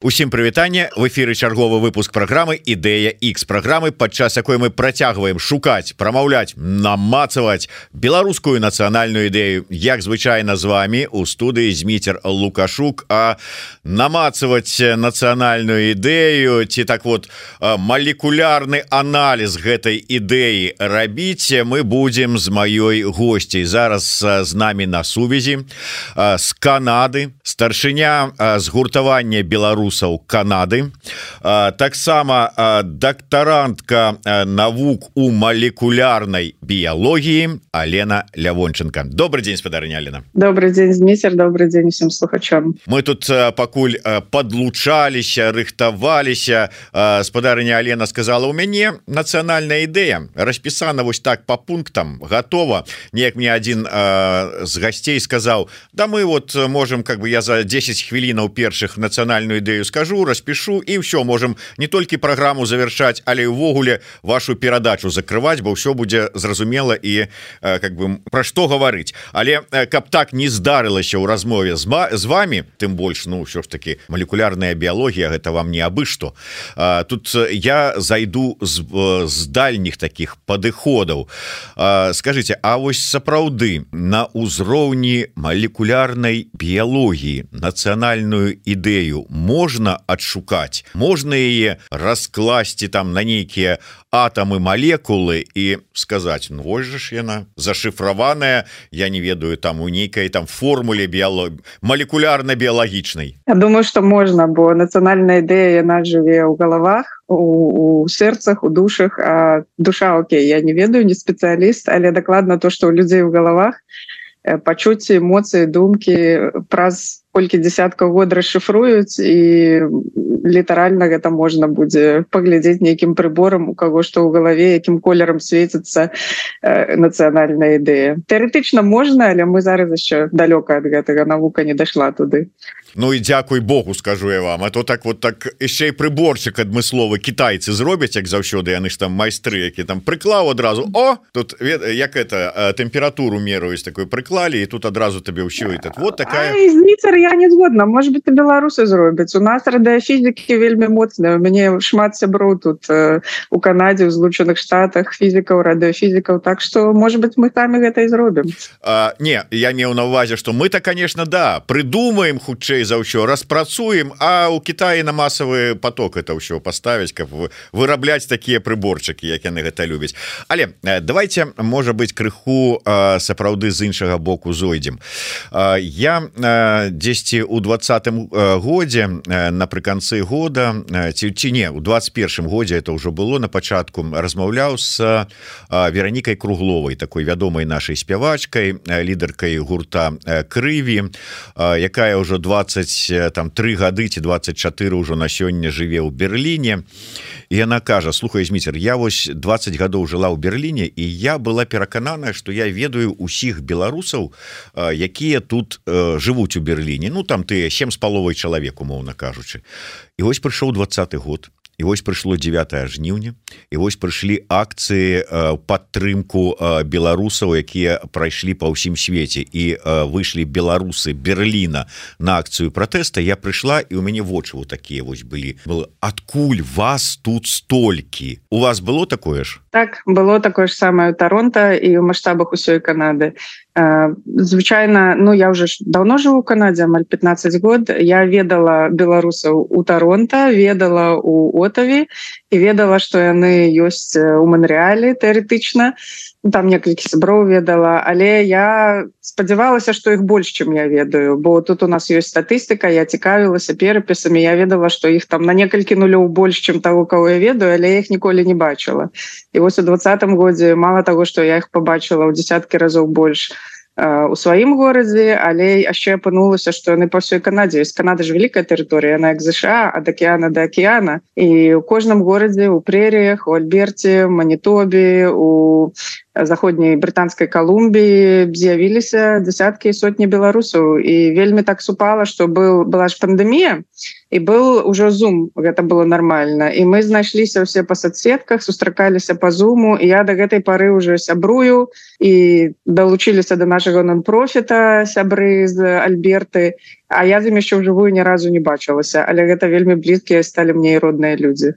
Усім прывітанне, в эфіры чарговы выпуск праграмы Ідэя X, праграмы, падчас якой мы працягваем шукаць, прамаўляць, намацаваць беларускую нацыянальную ідэю. Як звычайна з вами у студыі Зміцер Лукашук, а намацаваць нацыянальную ідэю ці так вот малекулярны аналіз гэтай ідэі рабіць мы будзем з маёй госцей. Зараз з намі на сувязі з Канады старшыня згуртавання беларусаў Канады, таксама дактарантка навук у малекулярнай біялогіі Алена Лявонченко. Добрый день, спадарыня Алена. Добрый день, Зміцер, добрый день усім слухачам. Мы тут пакуль подлучаліся, рыхтаваліся, спадарыня Алена сказала, у мяне нацыянальная ідэя распісана вось так по пунктам, готова. Неяк мне один з гостей сказал, да мы вот можем, как бы я за 10 хвілінаў першых нацыянальную ідэю скажу, распишу и все, можем не только программу завершать, але увогуле вашу перадачу закрывать, бо все будзе зразумела и как бы про что говорить. Але каб так не здарылася ў размове з вами, тым больш, ну все ж таки молекулярная биология, гэта вам не абы што. Тут я зайду з дальніх таких падыходаў. Скажите, а вось сапраўды на ўзроўні молекулярнай биологии нацыянальную ідэю можно адшукаць, можна яе раскласці там на нейкія атомы, молекулы і сказаць, ну вось жа ж яна зашифраваная, я не ведаю, там у нейкай там формуле молекулярна-біялагічнай. Я думаю, что можно, бо нацыянальная ідэя яна жыве ў галавах, у сэрцах, у душах, а душа, окей, я не ведаю, не спецыяліст, але дакладна то, што ў людзей у галавах пачуцці, эмоцыі, думкі праз колькі дзесяткаў год расшифруюць і літаральна гэта можна будзе паглядзець нейкім прыборам, у каго што ў галаве, якім колерам свеціцца нацыянальная ідэя. Тэарэтычна можна, але мы зараз яшчэ далёка ад гэтага, навука не дайшла туды. Ну і дзякуй Богу, скажу я вам, а то так вот так яшчэ і прыборчык адмысловы кітайцы зробяць, як заўсёды, яны ж там майстры, які там прыклаў адразу, о, тут як это тэмпературу мераюць, такой прыклалі, і тут адразу табе ўсё, і так вот такая... Зміцер, я не згодна, может быть, и беларусы зробяць. У нас радыёфізікі вельмі моцная. У мяне шмат сяброў тут у Канадзе, у Злучаных Штатах, фізікаў, радыёфізікаў, так что, может быть, мы самі гэта і зробім. Не, я меў на увазе, что мы-то, конечно, да, придумаем хутчэй за ўсё, распрацуем, а у Китаі на масавы поток это ўсё поставіць, каб вырабляць такія прыборчыкі, як яны гэта любяць. Але давайте, можа быть, крыху сапраўды з іншага боку зойдзем. Я дзесьці у 20-м годзе напрыканцы года ці не, у 21-м годзе это ўжо было на пачатку, размаўляў з Веранікай Кругловай, такой вядомай нашай спявачкай, лідаркай гурта Крыві, якая ўжо 23 гады ці 24 ўжо на сёння жыве ў Берліне. І яна кажа, слухай, Зміцер, я вось 20 гадоў жыла ў Берліне, і я была перакананая, што я ведаю усіх беларусаў, якія тут жывуць у Берліне, ну там тыя 7,5 чалавек, умоўна кажучы. І вось прыйшоў 20-й год, і вось прыйшло 9 жніўня, і вось прыйшлі акцыі падтрымку беларусаў, якія прайшлі па ўсім свеце, і выйшлі беларусы Берліна на акцыю пратэста. Я прыйшла, і ў мяне вочы вот такія вось былі. Адкуль вас тут столькі? У вас было такое ж? Так, было такое ж самае ў Таронта і ў маштабах усёй Канады. Звычайна, ну я уже давно жыву ў Канадзе, амаль 15 год. Я ведала беларусаў у Таронта, ведала у Отаве і ведала, што яны ёсць у Монреале тэарэтычна. Там некалькі сяброў ведала, але я спадзявалася, што іх больш, чым я ведаю, бо тут у нас ёсць статыстыка, я цікавілася перапісамі, я ведала, што іх там на некалькі нулёў больш, чым таго, каго я ведаю, але я іх ніколі не бачыла. І вось у 20-м годзе мала таго, што я іх пабачыла ў дзесяткі разоў больш у сваім горадзе, але яшчэ апынулася, што яны па ўсёй Канадзе. Канада ж вялікая тэрыторыя, яна як ЗША, ад акіяна да акіяна. І ў кожным горадзе, у прэріях, у Альберце, Манітобе, у заходняй брытанскай Калумбіі з'явіліся дзесяткі і сотні беларусаў. І вельмі так супала, што была ж пандэмія, і был ужо Zoom, гэта было нармальна. І мы знайшліся ўсе па соцсетках, сустракаліся па Zoom, і я да гэтай пары ўжо сябрую, і далучыліся да нашага нон-профіта сябры з Альберты. а я з ім яшчэ ўжывую ні разу не бачылася, але гэта вельмі блізкія сталі мне і родныя людзі.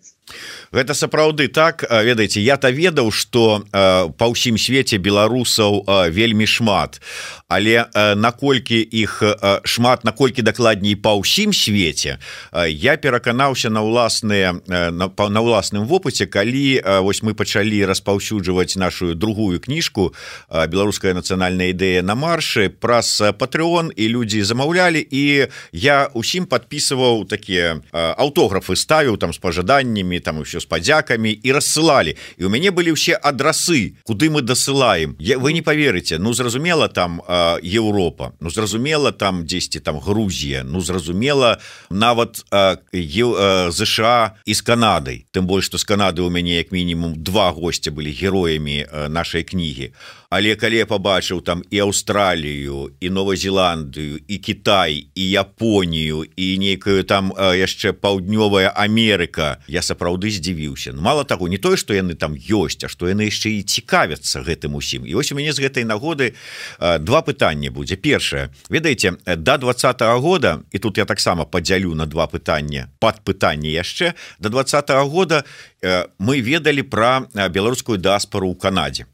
Гэта сапраўды так, ведаеце, я-то ведаў, што па ўсім свеце беларусаў вельмі шмат, але наколькі іх шмат, наколькі дакладней па ўсім свеце, я пераканаўся на ўласным вопыце, калі вось мы пачалі распаўсюджваць нашу другую кніжку «Беларуская нацыянальная ідэя на маршы» праз Patreon, і людзі замаўлялі, і я ўсім падпісываў такія аўтографы, ставіў там з пажаданнямі, там ўсё з падзякамі, і рассылалі. І у мяне былі ўсе адрасы, куды мы дасылаем. Вы не поверыце, ну зразумела там Еўропа, ну зразумела там дзесьці там Грузія, ну зразумела нават ЗША і з Канадай. Тым больш, што з Канады у мяне як мінімум 2 госця былі героямі нашай кнігі. Але калі я пабачыў там і Аўстралію, і Новазеландыю, і Кітай, і Японію, і нейкую там яшчэ Паўднёвая Амерыка, я сапраўды здзівіўся. Ну, мала таго, не тое, што яны там ёсць, а што яны яшчэ і цікавяцца гэтым усім. І вось у мяне з гэтай нагоды 2 пытанні будзе. Першае, ведаеце, да 2020 года, і тут я таксама падзялю на 2 пытання, падпытанні яшчэ, да 2020 года мы ведалі пра беларускую дыаспару ў Канадзе.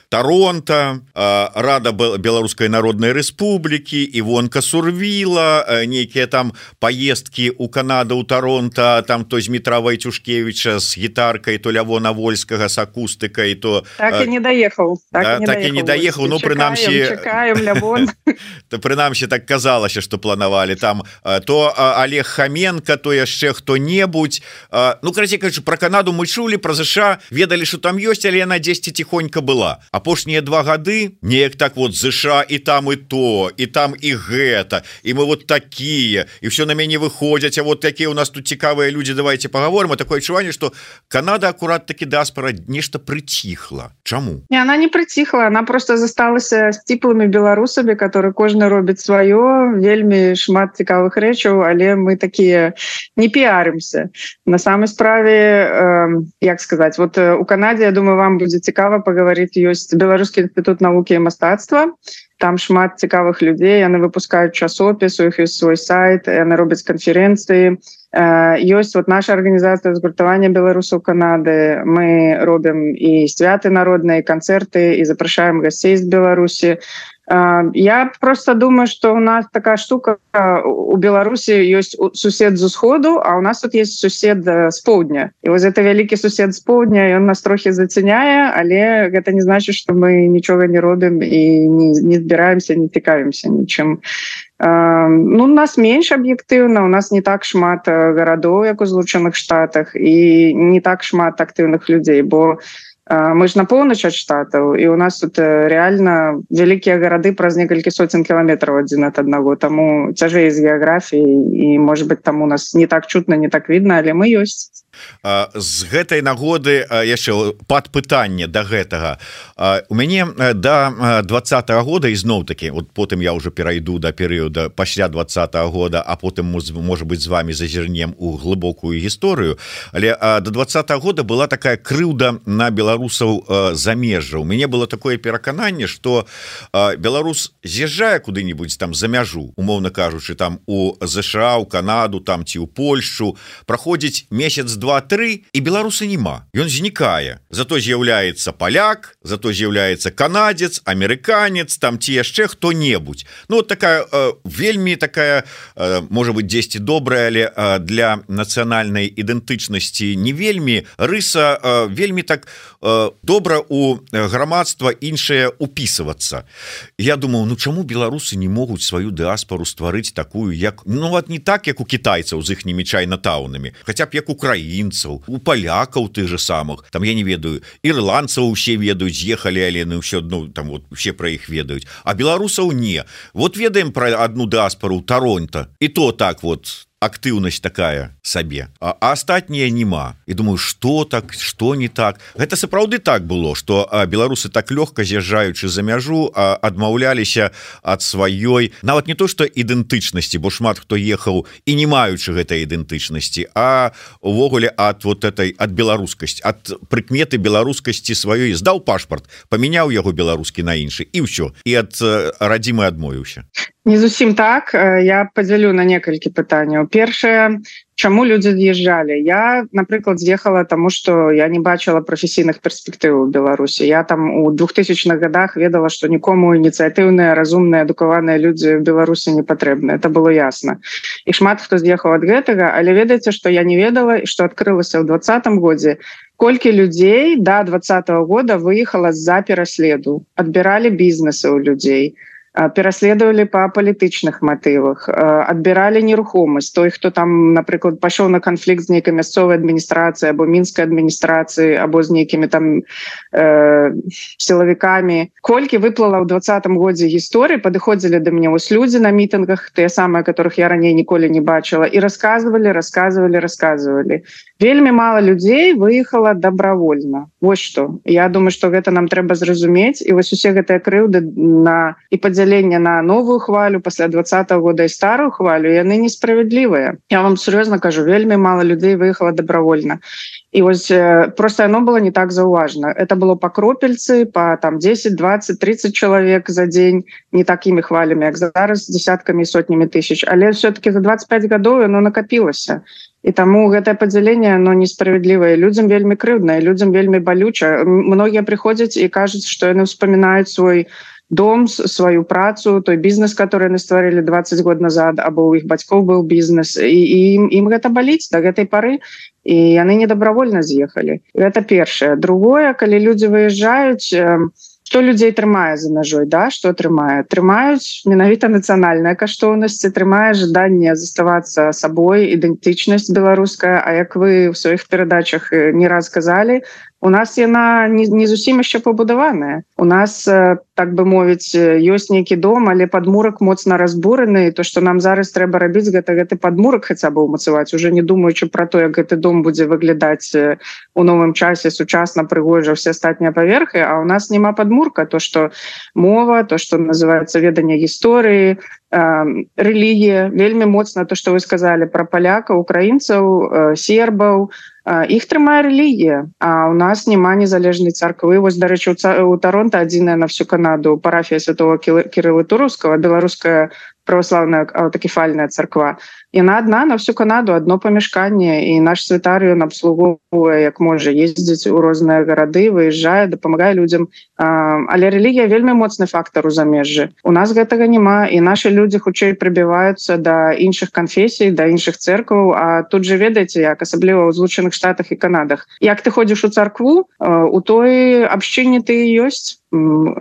Торонто, Рада Беларускай Народнай Рэспублікі, Івонка Сурвіла, нейкія там паездкі ў Канаду, ў Торонто, там то Змітра Вайцюшкевіча з гітаркай, то Лявона Вольскага з акустыкай, то... Так і не даехаў. Так і не даехаў, ну, прынамсі... Чакаем, Лявон. Прынамсі, так казалася, што планавалі. Там то Олег Хаменко, то яшчэ хто-небудзь. Ну, карацей кажучы, пра Канаду мы чулі, пра ЗША, ведалі, што там ёсць, але яна дзесьці ціхонька была. Апошнія 2 гады неяк так вот ЗША і там і то, і там і гэта, і мы вот такія, і все на мяне выходзяць, а вот такія у нас тут цікавыя людзі, давайте паговорым. А такое адчуванне, што Канада акурат такі дыаспара нешта прыціхла. Чаму? Не, она не прыціхла, она просто засталася сціплымі беларусамі, которые кожны робіць сваё, вельмі шмат цікавых рэчаў, але мы такія не піарымся. На самой справе, як сказаць, вот у Канадзе, я думаю, вам будзе цікава паговорыць, ёсць Беларускі інстытут навукі і мастацтва. Там шмат цікавых людзей, яны выпускаюць часопіс, у іх ёсць свой сайт, яны робяць канферэнцыі. Ёсць вот наша арганізацыя згуртавання беларусаў Канады. Мы робім і святы народныя, і канцэрты, і запрашаем гасцей з Беларусі. Я просто думаю, что у нас такая штука, у Беларусі ёсць сусед з усходу, а у нас тут есть сусед з поўдня. І вось гэта вялікі сусед з поўдня, ён нас трохі зацяняе, але гэта не значыць, што мы нічога не робім і не збіраемся, не цікавімся нічым. Ну, у нас менш аб'ектыўна, у нас не так шмат гарадоў, як у Злучаных Штатах, і не так шмат актыўных людзей, бо мы ж на поўнач ад штатаў, і у нас тут реально вялікія гарады праз некалькі соцень кіламетраў адзін ад аднаго, таму цяжэй з геаграфіяй, і, может быть, там у нас не так чутна, не так видно, але мы ёсць. З гэтай нагоды яшчэ падпытанне да гэтага. У мяне да 2020 года ізноў-такі, вот потым я ўжо перайду да перыяда пасля 2020 года, а потым, можа быць, з вами зазірнем у глыбокую гісторыю, але до 2020 года была такая крыўда на беларусаў замежжа. У мяне было такое перакананне, што беларус з'язджае куды-нибудь там за мяжу, умоўна кажучы, там у ЗША, у Канаду, там ці ў Польшчу, праходзіць месяц 2-3, і беларуса няма. Ён знікае. Зато з'яўляецца паляк, зато з'яўляецца канадзец, амерыканец, там ці яшчэ хто-небудзь. Ну, вот такая, вельмі такая, можа быць, дзесьці добрая, але для нацыянальнай ідэнтычнасці не вельмі, рыса вельмі так добра у грамадства іншае упісвацца. Я думаў, ну чаму беларусы не могуць сваю дыаспару стварыць такую, як, ну, вот не так, як у кітайцаў з іхнімі чайнатаунамі, хаця б як украінцаў, у палякаў тых же самых, там, я не ведаю, ірландцаў усе ведаюць, з'ехалі, але ну, ўсё адно, там, вот, усе пра іх ведаюць, а беларусаў не. Вот ведаем пра адну дыаспару ў Торонто, і то так вот, актыўнасць такая сабе, а астатнія няма. І думаю, што так, што не так. Гэта сапраўды так было, што беларусы так лёгка, з'язджаючы за мяжу, адмаўляліся ад сваёй, нават не то, што ідэнтычнасці, бо шмат хто ехаў і не маючы гэтай ідэнтычнасці, а увогуле ад вот этой, ад беларускасці, ад прыкметы беларускасці сваёй. Здаў пашпарт, памяняў яго беларускі на іншы, і ўсё. І ад радзімы адмовіўся. Не зусім так. Я падзялю на некалькі пытанняў. Першае, чаму людзі з'язджалі? Я, напрыклад, з'ехала таму, што я не бачыла прафесійных перспектыў у Беларусі. Я там у 2000-х годах ведала, што нікому ініцыятыўныя, разумныя, адукаваныя людзі ў Беларусі не патрэбны. Это было ясна. І шмат хто з'ехаў ад гэтага, але ведаеце, што я не ведала і што адкрылася ў 2020 годзе, колькі людзей да 2020 года выехала з-за пераследу, адбіралі бізнесы ў людзей, пераследовали по палітычных матывах, адбіралі нерухомасць. Той, хто там, напрыклад, пашоў на канфлікт з нейкай мясцовай адміністрацыі або мінскай адміністрацыі, або з нейкімі там сілавікамі. Колькі выплыла ў 2020 годзе гісторыі, падыходзілі да мяне вось людзі на мітынгах, тыя самыя, которых я раней ніколі не бачыла, і рассказывалі. Вельмі мала людзей выехала добровольна. Вось што. Я думаю, што гэта нам трэба зразумець, і вось усе гэтыя крыўды на і падзяленне на новую хвалю пасля 2020 года і старую хвалю, яны несправядлівыя. Я вам сур'ёзна кажу, вельмі мала людзей выехала добровольна. І вось просто оно было не так заўважна. Это было по кропельцы, по там 10, 20, 30 чалавек за дзень, не такімі хвалямі, як зараз, десяткамі і сотнямі тысяч. Але все-таки за 25 гадоў оно накапілася. І таму гэтае падзяленне, оно несправядлівае. Людзям вельмі крыўдна, людзям вельмі балюча. Многія прыходзяць і кажуць, што яны ўспамінаюць свой дом, сваю працу, той бізнес, который яны стварылі 20 год назад, або у іх бацькоў быў бізнес, і ім гэта баліць да гэтай пары, і яны недобровольна з'ехалі. Гэта першае. Другое, калі людзі выязджаюць, што людзей трымае за мяжой, да? Што трымае? Трымаюць менавіта нацыянальныя каштоўнасці, трымае жаданне заставацца сабой, ідэнтычнасць беларуская, а як вы ў сваіх перадачах не раз казалі, у нас яна не зусім яшчэ пабудаваная. У нас, так бы мовіць, ёсць нейкі дом, але падмурак моцна разбураны, і то, што нам зараз трэба рабіць, гэты падмурак хаця бы ўмацаваць, уже не думаючы пра то, як гэты дом будзе выглядаць у новым часе сучасна, прыгожа, все астатнія паверхі, а у нас няма падмурка. То, што мова, то, што называецца веданне гісторыі, рэлігія, вельмі моцна то, што вы сказалі пра палякаў, украінцаў, сербаў, іх трымае рэлігія, а у нас няма незалежнай царквы. Вось, дарэчы, у Таронта адзіная на всю Канаду парафія святого Кірыла Тураўскага, беларуская православная аўтакефальная царква. Яна адна на всю Канаду, адно памяшканне, і наш святар ён абслугоўвае як можа, ездзіць у розныя гарады, выязджае, дапамагае людзям. Але рэлігія вельмі моцны фактар у замежжы. У нас гэтага няма, і нашы людзі хутчэй прыбіваюцца да іншых канфесій, да іншых цэркваў, а тут же ведаеце, як асабліва ў Злучаных Штатах і Канадах. Як ты ходзіш у царкву, у той абшчыне ты ёсць.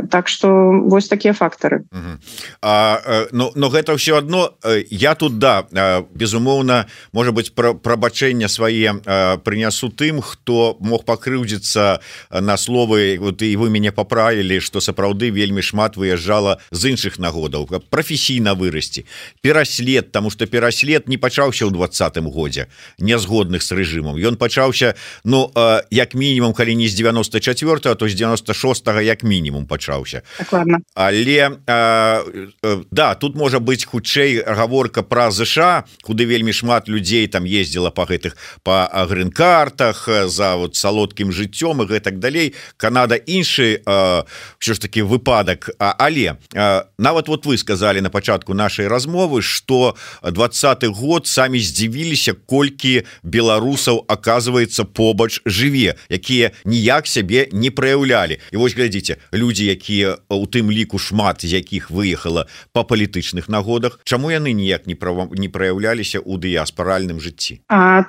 Так што вось такія фактары. Но гэта ўсё адно, я тут, да, безумоўна, можа быць, прабачэння свае прынясу тым, хто мог пакрыўдзіцца на словы, вот, і вы мяне паправілі, што сапраўды вельмі шмат выязджала з іншых нагодаў, каб прафесійна вырасці. Пераслед, таму што пераслед не пачаўся ў 2020 годзе, нязгодных з рэжымам. Ён пачаўся, ну, як мінімум, калі не з 94-го, то з 96-го як мінімум пачаўся. Дакладна. Але, да, тут можа быць хутчэй гаворка пра ЗША, куды вельмі шмат людзей там ездзіла па гэтых па грын-картах, за вот салодкім жыццём і гэтак далей. Канада іншы ўсё ж таки выпадак. Але нават вот вы сказалі на пачатку нашай размовы, што 20-й год самі здзівіліся, колькі беларусаў, аказваецца, побач жыве, якія ніяк сябе не праяўлялі. І вось глядзіце, людзі, якія у тым ліку шмат з якіх выехала па палітычных нагодах, чаму яны ніяк не праяўляліся ў дыяспаральным жыцці?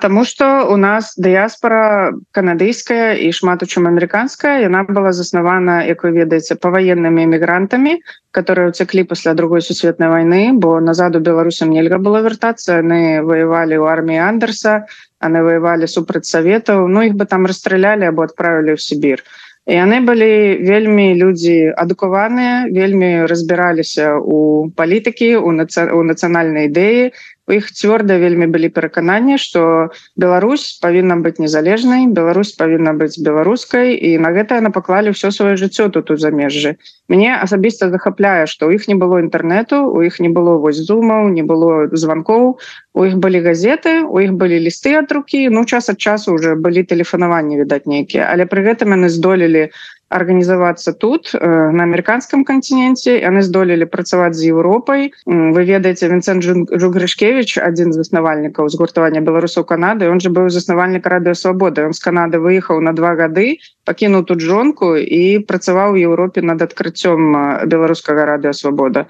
Таму што у нас дыяспара канадыйская і шмат у чым амерыканская, яна была заснавана, як вы ведаеце, паваеннымі эмігрантамі, которые уцеклі пасля другой сусветнай вайны, бо назад у беларусам нельга было вяртацца, яны ваявалі ў арміі Андерса, яны ваявалі супраць саветаў, ну іх бы там расстралялі або адправілі ў Сібір. І яны былі вельмі людзі адукаваныя, вельмі разбіраліся ў палітыкі, у нацыянальнай ідэі. У іх цвёрда вельмі былі перакананні, што Беларусь павінна быць незалежнай, Беларусь павінна быць беларускай, і на гэта яны паклалі ўсё сваё жыццё тут у замежжы. Мяне асабіста захапляе, што ў іх не было інтэрнэту, у іх не было вось зумаў, не было званкоў, у іх былі газеты, у іх былі лісты ад рукі, ну час ад часу ўжо былі тэлефанаванні, відаць, нейкія, але пры гэтым яны здолелі арганізавацца тут на амерыканскім кантиненце, яны здолелі працаваць з Еўропай. Вы ведаеце, Вінцэнт Жугрышкевіч, адзін з заснавальнікаў згуртавання беларусаў Канады, он же быў заснавальнік Радыё Свабода. Ён з Канады выехаў на 2 гады, пакінуў тут жонку і працаваў у Еўропе над адкрыццём беларускага Радыё Свабода.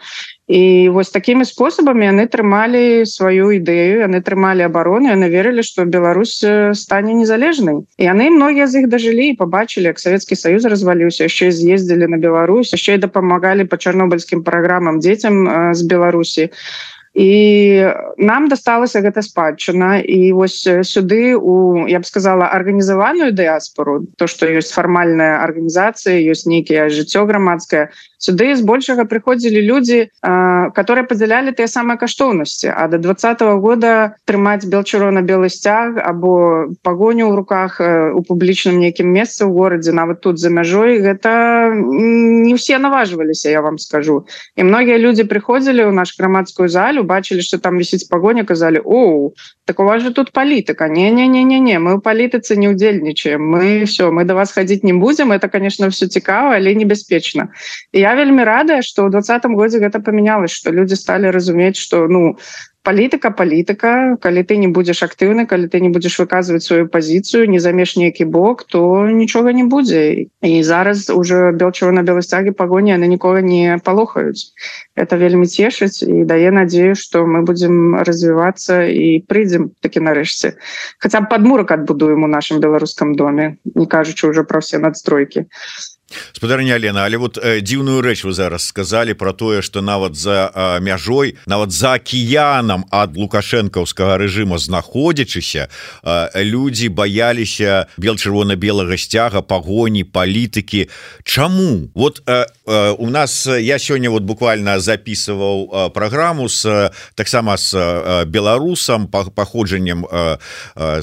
І вось такімі спосабамі яны трымалі сваю ідэю, яны трымалі абарону, яны верылі, што Беларусь стане незалежнай. І яны многія з іх дажылі і пабачылі, як Савецкі Саюз разваліўся, яшчэ з'ездзілі на Беларусь, яшчэ і дапамагалі па чарнобыльскім праграмам дзецям з Беларусі. І нам дасталася гэта спадчына. І вось сюды у, я б сказала, арганізаваную дыяспору, то, што ёсць фармальная арганізацыя, ёсць нейкае жыццё грамадскае, сюды збольшага прыходзілі людзі, которые падзялялі тыя самыя каштоўнасці. А до 2020 года трымаць бел-чырвона-белы сцяг або пагоню ў руках у публічным нейкім месцы ў горадзе, нават тут за мяжой, гэта не ўсе наважваліся, я вам скажу. І многія людзі прыходзілі ў наш грамадскую залю, бачылі, што там вісіць пагоня, казалі: «Оу, так у вас же тут палітыка». Не-не-не-не, мы ў палітыцы не ўдзельнічаем. Мы до вас хадзіць не будзем. Это, конечно, все цікава, але небяспечна. І я вельмі радая, што ў 2020 годзе гэта памянялось, што людзі сталі разумець, што палітыка, калі ты не будзеш актыўны, калі ты не будзеш выказваць сваю пазіцыю, не займеш нейкі бок, то нічога не будзе. І зараз уже бел-чырвона-белы сцягі пагоні, яны нікога не палохаюць. Это вельмі цешыць і дае надзею, што мы будзем развівацца і прыйдзем такі нарэшце. Хаця б падмурак адбудуем у нашым беларускам доме, не кажучы ўжо пра ўсе надстройкі. Спадарня Алена, але вот дзіўную рэч вы зараз сказалі про тое, што нават за мяжой, нават за акіянам ад лукашэнкаўскага рэжыма знаходзячыся, людзі баяліся бел-чырвона-белага сцяга, пагоні, палітыкі. Чаму? Вот у нас, я сёння вот буквально записываў праграму таксама з беларусам, паходжаннем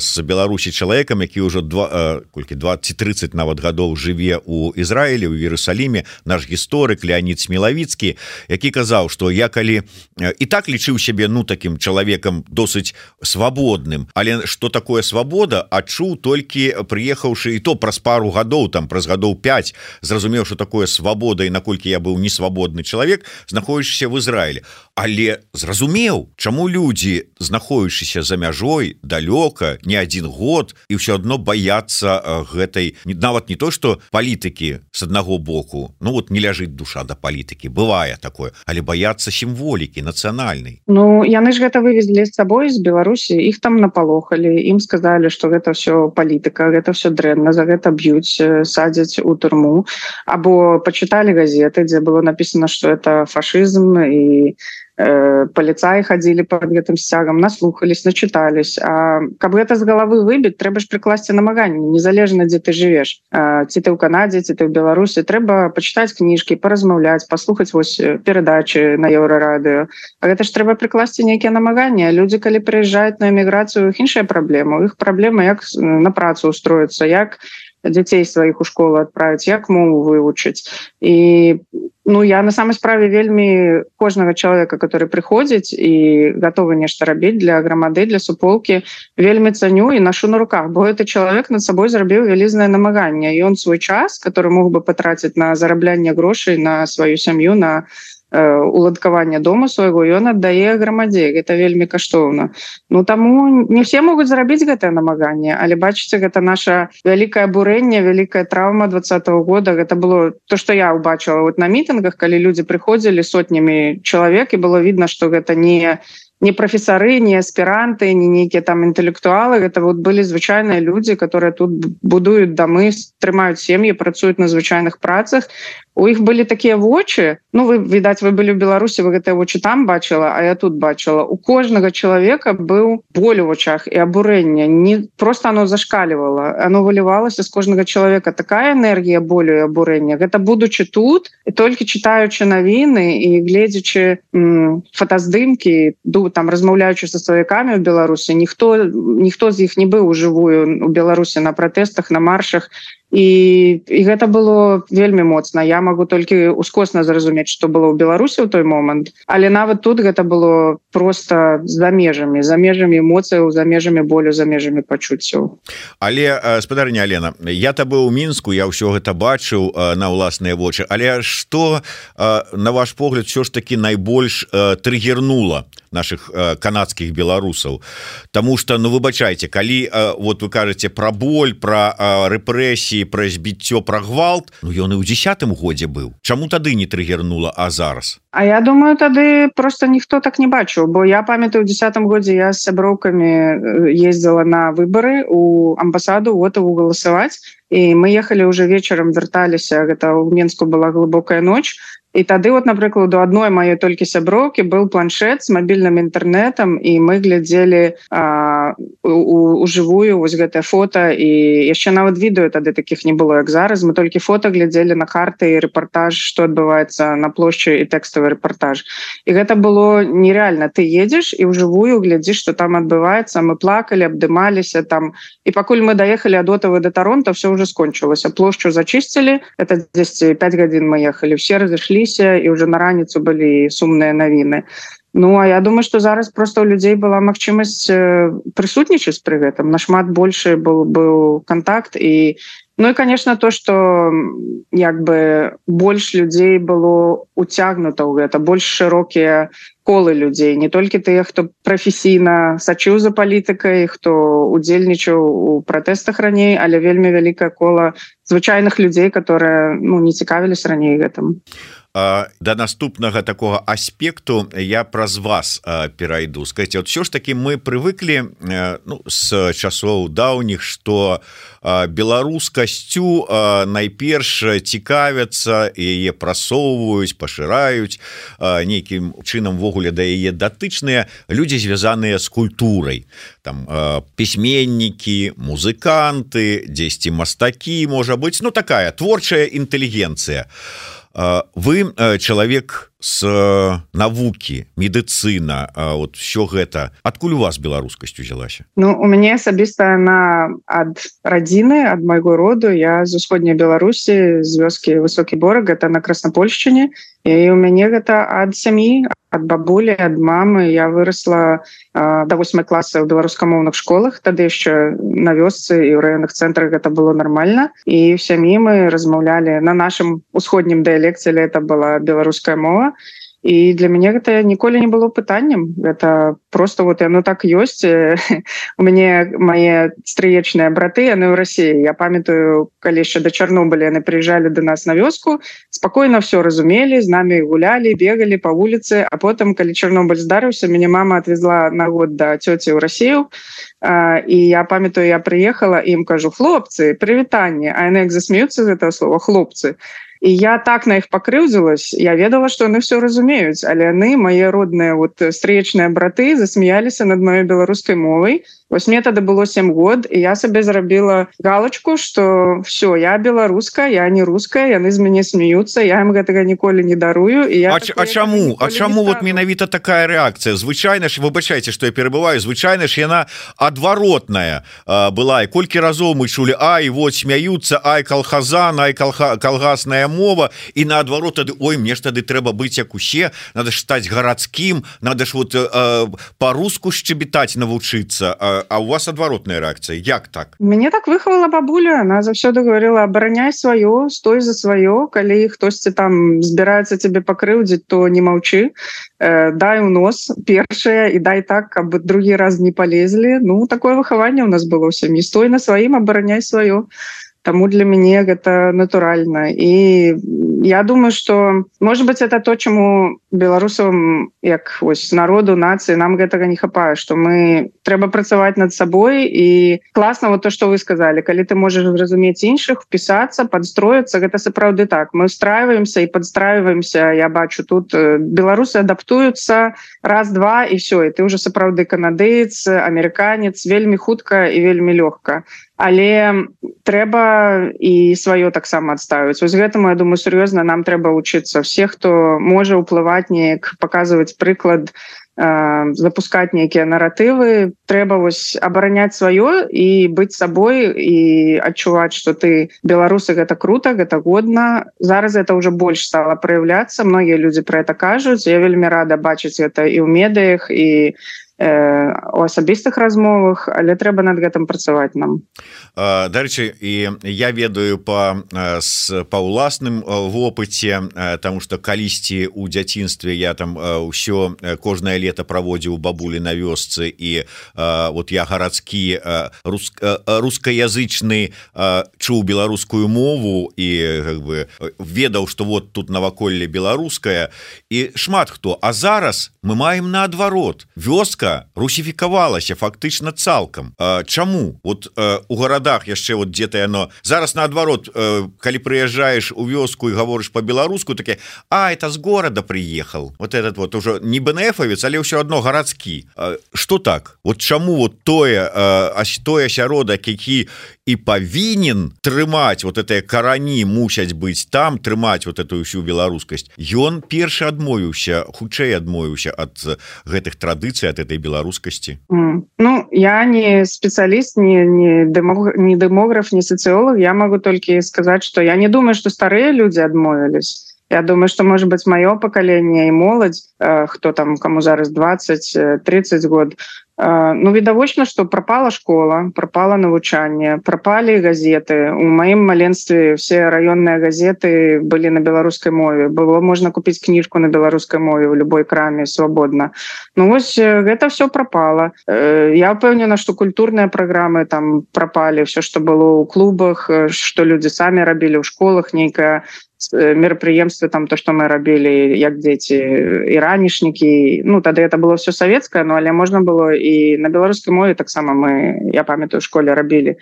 з Беларусі чалавекам, які ўжо 20-30 нават гадоў жыве у Ізраілі, у Іерусаліме, наш гісторык Леонід Смілавіцкі, які казаў, што я калі і так лічыў сябе такім чалавекам досыць свабодным, але што такое свабода, адчуў толькі прыехаўшы, і то праз пару гадоў, там праз гадоў 5, зразумеў, што такое свабода і наколькі я быў несвабодны чалавек, знаходзячыся в Ізраілі. Але зразумеў, чаму людзі, знаходзячыся за мяжой далёка, не 1 год, і ўсё адно баяцца гэтай, нават не то, што палітыкі с аднаго боку, вот не ляжыць душа да палітыкі, бывае такое, але баяцца сімволікі нацыянальнай. Яны ж гэта вывезлі з сабой з Беларусі, іх там напалохалі, ім сказалі, што гэта ўсё палітыка, гэта ўсё дрэнна, за гэта б'юць, садзяць у турму, або пачыталі газеты, дзе было напісана, што это фашызм, і паліцаі хадзілі под гэтым сцягам, наслухались, начытались. А каб гэта з галавы выбіць, трэба ж прыкласці намаганні, незалежна дзе ты жывеш, ці ты ў Канадзе, ці ты ў Беларусі, трэба пачытаць кніжкі, паразмаўляць, паслухаць вось перадачы на Еўрарадыё. А гэта ж трэба прыкласці нейкія намаганні. Людзі, калі прыязджаюць на эміграцыю, іх іншая праблема. У іх праблема, як на працу устроіцца, як дзяцей сваіх у школу адправіць, як мову вывучыць. І я на самой справе вельмі кожнага чалавека, который прыходзіць і гатовы нешта рабіць для грамады, для суполкі, вельмі цаню і нашу на руках, бо гэты чалавек над сабой зрабіў вялізнае намаганне, і он свой час, который мог бы патраціць на зараблянне грошай, на сваю сям'ю, на уладкаванне дома свайго, ён аддае грамадзе. Гэта вельмі каштоўна. Таму не все могуць зрабіць гэтае намаганне, але бачыце, гэта наша вялікае абурэнне, вялікая траўма 2020 года. Гэта было то, што я ўбачыла на мітынгах, калі людзі прыходзілі сотнямі чалавек, і было видно, што гэта не прафесары, не аспіранты, не нейкія там інтэлектуалы, гэта былі звычайныя людзі, которые тут будуюць дамы, трымаюць сем'і, працуюць на звычайных працах. У іх былі такія вочы, вы, відаць, вы былі ў Беларусі, вы гэтыя вочы там бачыла, а я тут бачыла. У кожнага чалавека быў боль у вачах і абурэнне. Не просто оно зашкалівала, оно вылівалася з кожнага чалавека. Такая энергія болю і абурэння. Гэта будучы тут, і толькі чытаючы навіны і гледзячы фотаздымкі, там размаўляючы са сваякамі ў Беларусі, ніхто з іх не быў ужывую у Беларусі на пратэстах, на маршах, і гэта было вельмі моцна. Я могу толькі ускосна зразумець, што было ў Беларусі ў той момант, але нават тут гэта было просто за межамі эмоцыяў, за межамі болю, за межамі пачуццяў. Але спадарня Алена, я табе ў Мінску, я ўсё гэта бачыў на ўласныя вочы, але што на ваш погляд все ж таки найбольш триггернула наших канадскіх беларусаў? Таму что, ну выбачайце, калі вот вы кажаце про боль, про рэпрэсіі, про збіццё, про гвалт, ну ён і ў 10-м годзе быў. Чаму тады не триггернула, а зараз? А я думаю, тады просто ніхто так не бачыў, бо я памятаю, у 10-м годзе я з сяброўкамі ездзіла на выбары у амбасаду Отаву галасаваць, і мы ехалі уже вечарам, вярталіся, гэта ў Мінску была глыбокая ноч. І тады, вот, напрыклад, у адной маёй толькі сяброўкі быў планшет з мабільным інтэрнэтам, і мы глядзелі у жывую вось гэтае фота, і яшчэ нават відэо тады такіх не было, як зараз. Мы толькі фота глядзелі на карты і рэпартаж, што адбываецца на плошчы, і тэкставы рэпартаж. І гэта было нереальна. Ты едзеш і ў жывую глядзіш, што там адбываецца. Мы плакалі, абдымаліся там. І пакуль мы даехалі ад Отавы да Таронта, все ўжо скончылася. Плошчу зачысцілі, это 10-5 гадзін мы ехалі, все разышлі, і уже на раніцу былі сумныя навіны. Ну, а я думаю, што зараз просто у людзей была магчымасць прысутнічаць пры гэтым. Нашмат большы быў контакт. І, ну і, конечно, то, што як бы больш людзей было уцягнута ў гэта, больш шырокія колы людзей, не толькі тыя, хто прафесійна сачыў за палітыкай, хто удзельнічаў у пратэстах раней, але вельмі вялікае кола звычайных людзей, которые, ну, не цікавіліся раней гэтым. Да наступнага такого аспекту я праз вас перайду. Скажите, вот все ж таки мы привыкли, ну, с часоў даўніх, что беларускасцю найперш цікавяцца, яе прасоўваюць, пашыраюць, нейкім чынам ввогуле да яе датычныя людзі, звязаныя з культурай. Там пісьменнікі, музыканты, дзесьці мастакі, можа быць, ну такая творчая інтэлігенцыя. Вы человек с навукі, медыцына, вот все гэта. Адкуль у вас беларускасць узялася? Ну, у мяне асабіста она ад радзіны, ад майго роду. Я з усходняй Беларусі, з вёскі Высокі Бораг, гэта на Краснапольшчыне. І у мяне гэта ад сям'і, ад бабулі, ад мамы. Я вырасла до 8 класа ў беларускамоўных школах. Тады яшчэ на вёсцы і ў раённых цэнтрах гэта было нармальна. І ў сям'і мы размаўлялі на нашым усходнім дыялекце, это была беларуская мова. І для мяне гэта ніколі не было пытаннем. Гэта просто вот яно так ёсць. У мяне мае стрыечныя браты, яны ў Расіі. Я памятаю, калі яшчэ да Чарнобыля яны прыязджалі да нас на вёску, спакойна все разумелі, з намі гулялі, бегалі па вуліцы, а потым, калі Чарнобыль здарыўся, мяне мама отвезла на год да цёці ў Расію. І я памятаю, я прыехала і ім кажу: хлопцы, прывітанне. А яны як засмеюцца з гэтага слова хлопцы. І я так на іх пакрыўдзілась, я ведала, што яны все разумеюць, але яны, мае родныя вот стрыечныя браты, засмяяліся над маёй беларускай мовай. Вось мне тады было 7 год, і я сабе зрабіла галочку, што все, я беларуска, я не руская, яны з мяне смеюцца, я ім гэтага ніколі не дарую. І я чаму вот менавіта такая рэакцыя? Звычайна ж, выбачайце, што я перабываю, звычайна ж яна адваротная была, і колькі разоў мы чулі: ай, вот смяюцца, ай, калхазан, ай, калгасная мова, і наадварот тады: ой, мне ж тады трэба быць як усе, надо ж стаць гарадскім, надо ж вот по-руску шчебетаць навучыцца. А у вас адваротная рэакцыя. Як так? Мяне так выхавала бабуля. Она заўсёды говорила: абараняй сваё, стой за сваё. Калі хтосьці там збіраецца цябе пакрыўдзіць, то не маўчы. Дай у нос першае і дай так, каб другі раз не полезлі. Ну, такое выхаванне у нас было ў сям'і. Стой на сваім, абараняй сваё. Таму для мяне гэта натуральна. І я думаю, што, может быть, это то, чаму беларусам, як ось народу, нацыі, нам гэтага не хапае, што мы трэба працаваць над сабой. І класна вот то, што вы сказалі, калі ты можаш зразумець іншых, впісацца, падстроіцца, гэта сапраўды так. Мы устраиваемся і падстраиваемся. Я бачу, тут беларусы адаптуюцца раз-два і все, і ты уже сапраўды канадыец, амерыканец, вельмі хутка і вельмі лёгка. Але трэба трэба і сваё таксама адставіць. Вось гэтаму, я думаю, сур'ёзна нам трэба вучыцца. Все, хто можа ўплываць неяк, паказваць прыклад, запускаць нейкія наратывы, трэба вось абараняць сваё і быць сабой і адчуваць, што ты беларусы, гэта круто, гэта годна. Зараз это ўжо больш стала праяўляцца, многія людзі пра гэта кажуць. Я вельмі рада бачыць гэта і ў медыях, і у асабістых размовах, але трэба над гэтым працаваць нам. Дарэчы, і я ведаю па ўласным вопыце, таму што калісьці ў дзяцінстве я там ўсё кожнае лета праводзіў бабулі на вёсцы, і вот я гарадскі рускаязычны чуў беларускую мову і как бы ведаў, што вот тут наваколле беларуская, і шмат хто. А зараз мы маем наадварот. Вёска русифікавалася фактычна цалкам. Чаму? Вот у гарадах яшчэ вот дзе-то яно... Зараз наадварот, калі прыязджаеш у вёску і гаворыш па-беларуску, таке, это з горада прыехал. Вот этот вот уже не БНФовец, але ўсё адно гарадскі. Што так? Вот чаму вот той асяродак, які і павінен трымаць вот этыя карані, мусяць быць там, трымаць вот эту ўсю беларускасць, ён першы адмовіўся, хутчэй адмовіўся ад гэтых традыцый, ад этой беларускасці? Ну, я не спецыяліст, не дэмограф, не социолог. Я могу только сказать, что я не думаю, что старые люди адмовились. Я думаю, что, может быть, мое поколение и молодь, кто там, кому зараз 20-30 год, ну, відавочна, што прапала школа, прапала навучанне, прапалі газеты. У маім маленстве все раённыя газеты былі на беларускай мове. Было можна купіць кніжку на беларускай мове ў любой краме свабодна. Ну, вось гэта все прапала. Я ўпэўнена, што культурныя праграмы там прапалі, все, што было ў клубах, што людзі самі рабілі ў школах, нейкая мерапрыемствы, там то, што мы рабілі як дзеці, і ранішнікі. Ну, тады это было все савецкае, но але можна было і на беларускай мове таксама мы, я памятаю, у школе рабілі.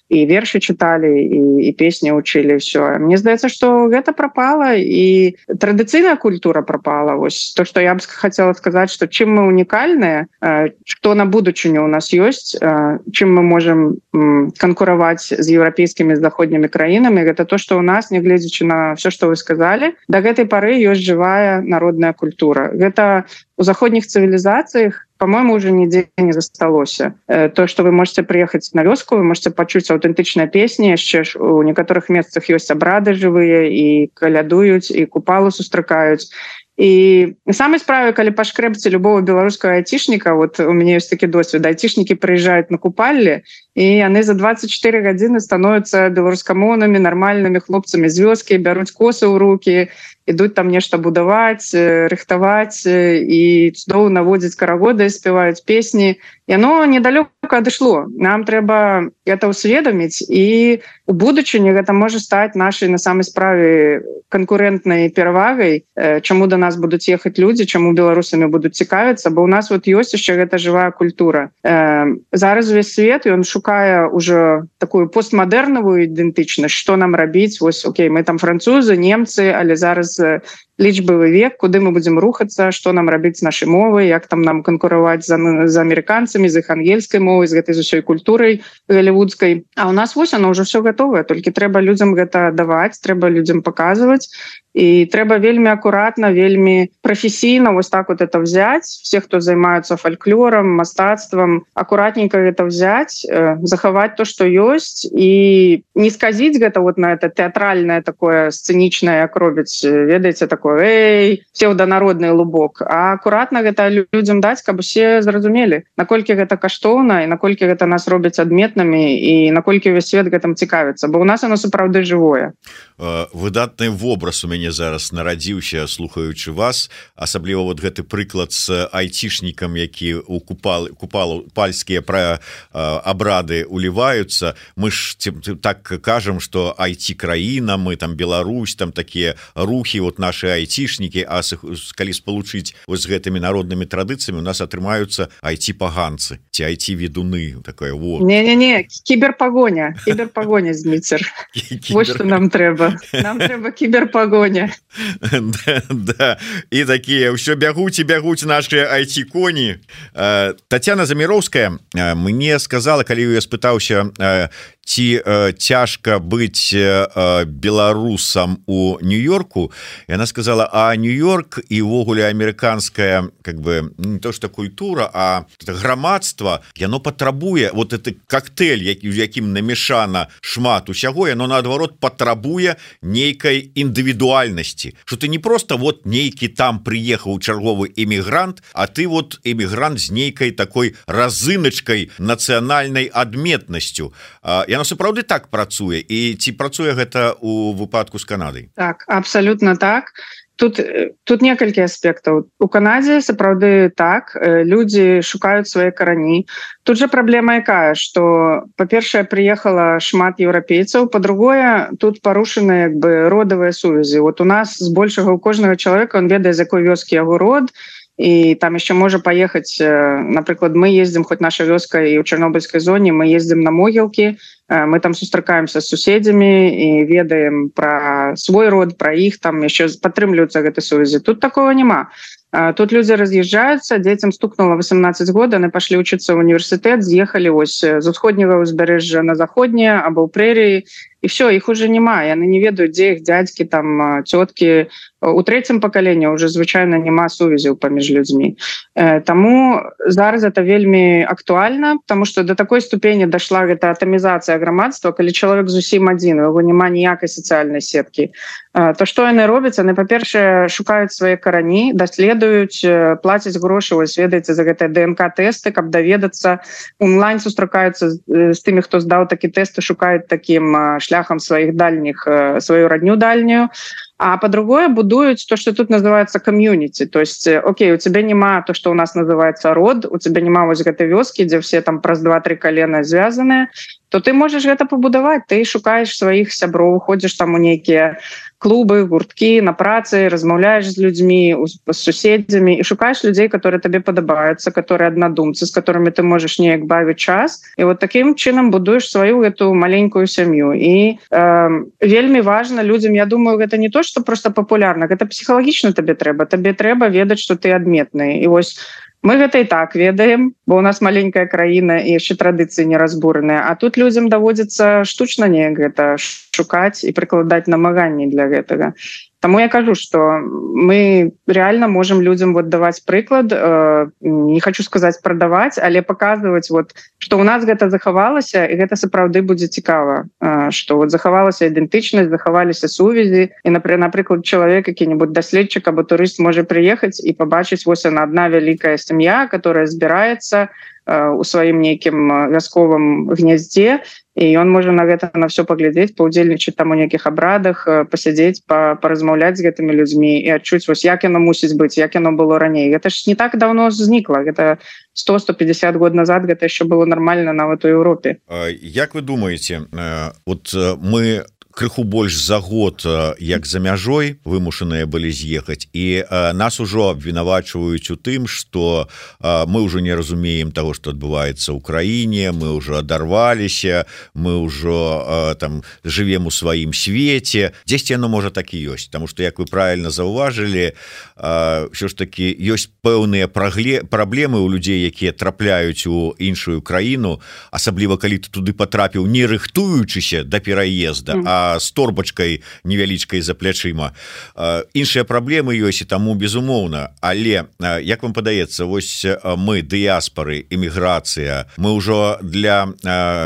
І вершы чыталі, і песні ўчылі, ўсё. Мне здаецца, што гэта прапала, і традыцыйная культура прапала. Вось то, што я б хацела сказаць, што чым мы унікальныя, што на будучыню у нас ёсць, чым мы можам канкураваць з еўрапейскімі, з заходнімі краінамі, гэта то, што ў нас, нягледзячы на все, што вы сказалі, да гэтай пары ёсць жывая народная культура. Гэта у заходніх цывілізацыях, по-моему, уже нигде не засталося. То, что вы можете приехать на вёску, вы можете пачуць аўтэнтычныя песні, яшчэ ж у некаторых месцах ёсць абрады жывыя, і калядуюць, і купалы сустракаюць. І на самой справе, калі пашкрэбце любого беларускага айцішніка, вот у мяне ёсць такі досвед, айцішнікі прыязджаюць на купалле, і яны за 24 гадзіны становяцца беларускамоўнымі, нармальнымі хлопцамі з вёскі, бяруць косы ў рукі, ідуць там нешта будаваць, рыхтаваць, і цудоўна водзяць карагоды, спяваюць песні. Яно недалёка адышло. Нам трэба гэта ўсведаміць, і у будучыні гэта можа стаць нашай на самай справе канкурэнтнай перавагай, чаму да нас будуць ехаць людзі, чаму беларусамі будуць цікавіцца, бо ў нас вот ёсць яшчэ гэта жывая культура. Зараз увесь свет, ён шукае ўжо такую постмадэрнавую ідэнтычнасць, што нам рабіць. Вось, окей, мы там французы, немцы, але зараз лічбавы век, куды мы будзем рухацца, што нам рабіць з нашай мовай, як там нам канкураваць з амерыканцамі, з іх ангельскай мовай, з гэтай усёй культурай галівудскай. А ў нас вось оно ўжо все гатовае, толькі трэба людзям гэта даваць, трэба людзям паказваць. І трэба вельмі акуратна, вельмі прафесійна вось так вот это взять. Все, хто займаюцца фальклорам, мастацтвам, акуратненько гэта взять, захаваць то, што ёсць, і не сказіць гэта вот на это тэатральнае такое сцэнічнае, як робіць, ведаеце, такое псевданародны лубок, а акуратна гэта людзям даць, каб усе зразумелі, наколькі гэта каштоўна, і наколькі гэта нас робіць адметнымі, і наколькі ўвесь свет гэтым цікавіцца, бо ў нас оно сапраўды жывое. Выдатны вобраз у мяне зараз нарадзіўся, слухаючы вас, асабліва вот гэты прыклад з айцішнікам, які у купальскія пра абрады уліваюцца. Мы ж так кажам, што айці краіна, мы там Беларусь, там такія рухі, вот нашы айцішнікі, а калі спалучыць вось з гэтымі народнымі традыцыямі у нас атрымаюцца айці-паганцы ці айці-ведуны такое вот. Не, кіберпагоня Зміцер. Вот што нам трэба кіберпагоня. Да, і такія ўсё бягуць нашы айці-коні. Тацяна Заміроўская мне сказала, калі я спытаўся, ці цяжка быць беларусам у Нью-Йорку, яна сказала, а Нью-Йорк і ўвогуле амерыканская как бы не то что культура, а грамадства, яно патрабуе вот это коктейль, у якім намешана шмат усяго, яно наадварот патрабуе нейкай індывідуальнасці, что ты не просто вот нейкі там прыехаў чарговы эмігрант, а ты вот эмігрант з нейкай такой разыначкай нацыянальнай адметнасцю. Яно сапраўды так працуе, і ці працуе гэта у выпадку з Канадай? Так, абсолютно так. Тут некалькі аспектаў. У Канадзе сапраўды так, людзі шукаюць свае карані. Тут жа праблема якая, што, па-першае, прыехала шмат еўрапейцаў, па-другое, тут парушаны як бы родавыя сувязі. Вот у нас збольшага у кожнага чалавека, он ведае, з якой вёскі яго род, і там яшчэ можа паехаць, напрыклад, мы ездзім, хоць наша вёска і ў Чарнобыльскай зоне, мы ездзім на могілкі, мы там сустракаемся з суседзямі і ведаем пра свой род, пра іх, там яшчэ падтрымліваюцца гэтай сувязі. Тут такого няма. Тут людзі раз'язджаюцца, дзецям стукнула 18 год, яны пашлі вучыцца ў універсітэт, з'ехалі ось з усходняга ўзбярэжжа на заходняе або ў прэрыі, і все, іх уже няма, яны не ведаюць, дзе іх дзядзькі, там цёткі. У трэцім пакаленні ўжо звычайна няма сувязяў паміж людзьмі. Таму зараз это вельмі актуальна, потому что до такой ступені дашла гэта атамізацыя грамадства, калі чалавек зусім адзін, у яго няма ніякай сацыяльнай сеткі. То што яны робяць? Яны, па-першае, шукаюць свае карані, даследуюць, плацяць грошы, вось ведаеце, за гэтыя ДНК-тэсты, каб даведацца, онлайн сустракаюцца з тымі, хто здаў такі тэст, і шукаюць такім шляхам сваіх дальніх, сваю радню дальнюю. А по-другое, будуют то, что тут называется комьюнити. То есть, окей, у тебя нема то, что у нас называется род, у тебя нема вось гэтай вёскі, где все там праз 2-3 колена связанные, то ты можешь это побудовать. Ты шукаешь своих сяброў, ходишь там у нейкія клубы, гурткі, на працы, размаўляешь з людьми, с суседзямі и шукаешь людей, которые тебе подобаются, которые однодумцы, с которыми ты можешь неяк бавить час. И вот таким чином будуешь свою эту маленькую семью. И вельмі важно людям, я думаю, это не то, что просто популярно, это психологично тебе трэба ведаць, что ты адметны. И вось мы гэта і так ведаем, бо у нас маленькая краіна і яшчэ традыцыі не разбураныя, а тут людзям даводзіцца штучна неяк гэта шукаць і прыкладаць намаганні для гэтага. Таму я кажу, што мы реально можем людям вот даваць прыклад, не хочу сказаць прадаваць, але паказваць, вот, што ў нас гэта захавалася, і гэта сапраўды будзе цікава, што вот захавалася ідэнтычнасць, захаваліся сувязі, і, напрыклад, чалавек, які-небудзь даследчык або турыст можа прыехаць і пабачыць, вось яна адна вялікая сям'я, которая збіраецца у сваім нейкім вясковым гняздзе, і ён можа на гэта на все паглядзець, паўдзельнічаць там у нейкіх абрадах, пасядзець, паразмаўляць з гэтымі людзьмі і адчуць, вось як яно мусіць быць, як яно было раней. Гэта ж не так давно знікла, гэта 100-150 год назад гэта яшчэ было нармальна нават у Еўропе. Як вы думаеце, вот мы крыху больш за год, як за мяжой вымушаныя былі з'ехаць, і нас ужо абвінавачваюць у тым, што мы ўжо не разумеем таго, што адбываецца ў краіне, мы ўжо адарваліся, мы ўжо там жывем у сваім свеце. Дзесьці яно можа так і ёсць, таму што, як вы правільна заўважылі, ўсё ж такі ёсць пэўныя праблемы ў людзей, якія трапляюць у іншую краіну, асабліва калі ты туды патрапіў не рыхтуючыся да пераезда, а з торбачкай невялічкай за плячыма. Іншыя праблемы ёсць, і таму безумоўна. Але, як вам падаецца, вось мы, дыяспары, эміграцыя, мы ўжо для